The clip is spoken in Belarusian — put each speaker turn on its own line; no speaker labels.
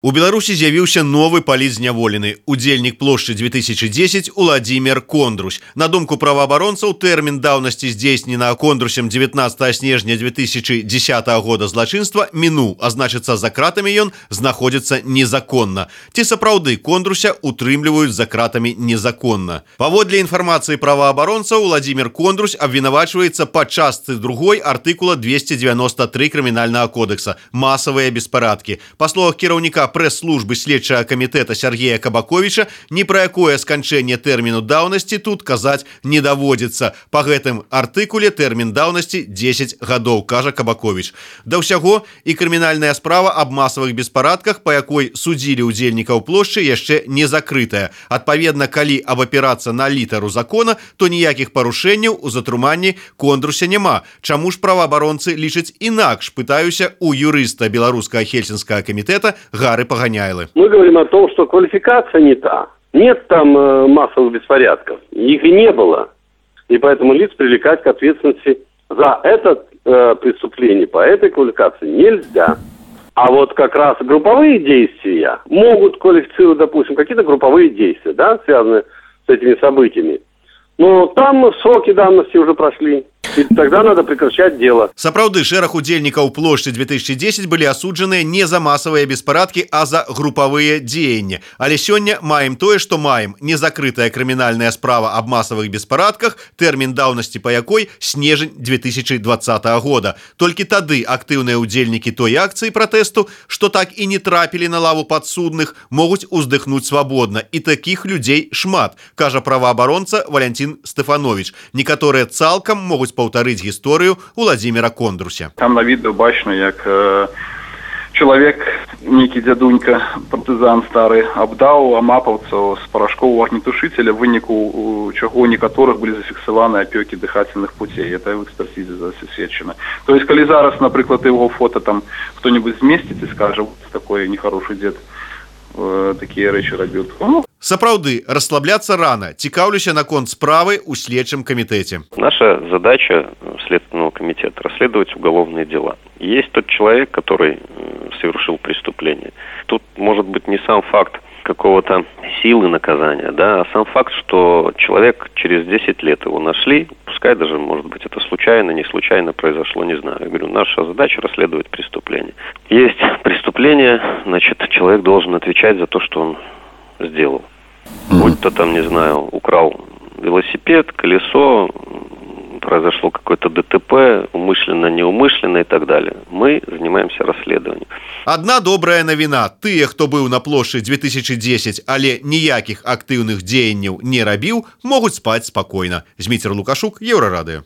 У Беларусі з'явіўся новы палітзняволены. Удзельнік плошчы 2010 Уладзімір Кондрусь. На думку праваабаронцаў, тэрмін даўнасці здзейснена Кондрусем 19 снежня 2010 года злачынства мінуў, а значыцца, за кратамі ён знаходзіцца незаконна. Ці сапраўды Кондруся утрымліваюць за кратамі незаконна? Паводле інфармацыі праваабаронцаў, Уладзімір Кондрусь абвінавачваецца па частцы 2 артыкула 293 крымінальнага кодекса «Масавыя беспарадкі». Па словах кіраўніка прэс-службы следчага камітэта Сергея Кабаковіча, ні пра якое сканчэнне тэрміну даўнасці тут казаць не даводзіцца. Па гэтым артыкуле тэрмін даўнасці 10 гадоў, кажа Кабаковіч. Да ўсяго, і крымінальная справа аб масавых беспарадках, па якой судзілі ўдзельнікаў плошчы, яшчэ не закрытая. Адпаведна, калі абапірацца на літару закона, то ніякіх парушэнняў у затрыманні Кондруся няма. Чаму ж праваабаронцы лічаць інакш, пытаюся у юрыста Беларускага Хельсінскага камітэта Погоняйлы.
Мы говорим о том, что квалификация не та. Нет там массовых беспорядков. Их и не было. И поэтому лиц привлекать к ответственности за это преступление по этой квалификации нельзя. А вот как раз групповые действия могут квалифицировать, допустим, какие-то групповые действия, да, связанные с этими событиями. Но там сроки давности уже прошли. И тогда надо прекращать дело.
Сапраўды, шэраг удзельнікаў плошчы 2010 былі асуджаныя не за масавыя беспарадкі, а за групавыя дзеянні. Але сёння маем тое, што маем. Незакрытая крымінальная справа аб масавых беспарадках, тэрмін даўнасці па якой снежань 2020 года. Толькі тады актыўныя удзельнікі той акцыі пратэсту, што так і не трапілі на лаву падсудных, могуць уздыхнуць свабодна. І такіх людзей шмат, кажа праваабаронца Валянцін Стэфановіч. Некаторыя цалкам могуць паўтарыць гісторыю Уладзіміра Кондруся.
Там на відэо бачна, як чалавек, нейкі дзядунька, партызан стары, абдаў амапаўцаў з парашкоў агнетушыцеля, выніку чаго некаторых былі зафіксаваны апёкі дыхательных путей. Это в экспертизе засведчана. То есть, калі зараз, напрыклад, его фото там кто-нибудь змесціць і скажа, такой нехороший дзед такія рэчы рабіў.
Сапраўды, расслабляться рано. Цікаўлюся наконт справы ў следчым комитете.
Наша задача Следственного комитета – расследовать уголовные дела. Есть тот человек, который совершил преступление. Тут может быть не сам факт какого-то силы наказания, да, а сам факт, что человек через 10 лет его нашли, пускай даже, может быть, это случайно, не случайно произошло, не знаю. Я говорю, наша задача расследовать преступление. Есть преступление, значит, человек должен отвечать за то, что он сделал. Будь то там, не знаю, украл велосипед, колесо, произошло какое-то ДТП, умышленно, неумышленно и так далее. Мы занимаемся расследованием.
Одна добрая навіна. Тыя, хто быў на плошчы 2010, але ніякіх актыўных дзеянняў не рабіў, могуць спаць спакойна. Зміцер Лукашук, Еўрарадыё.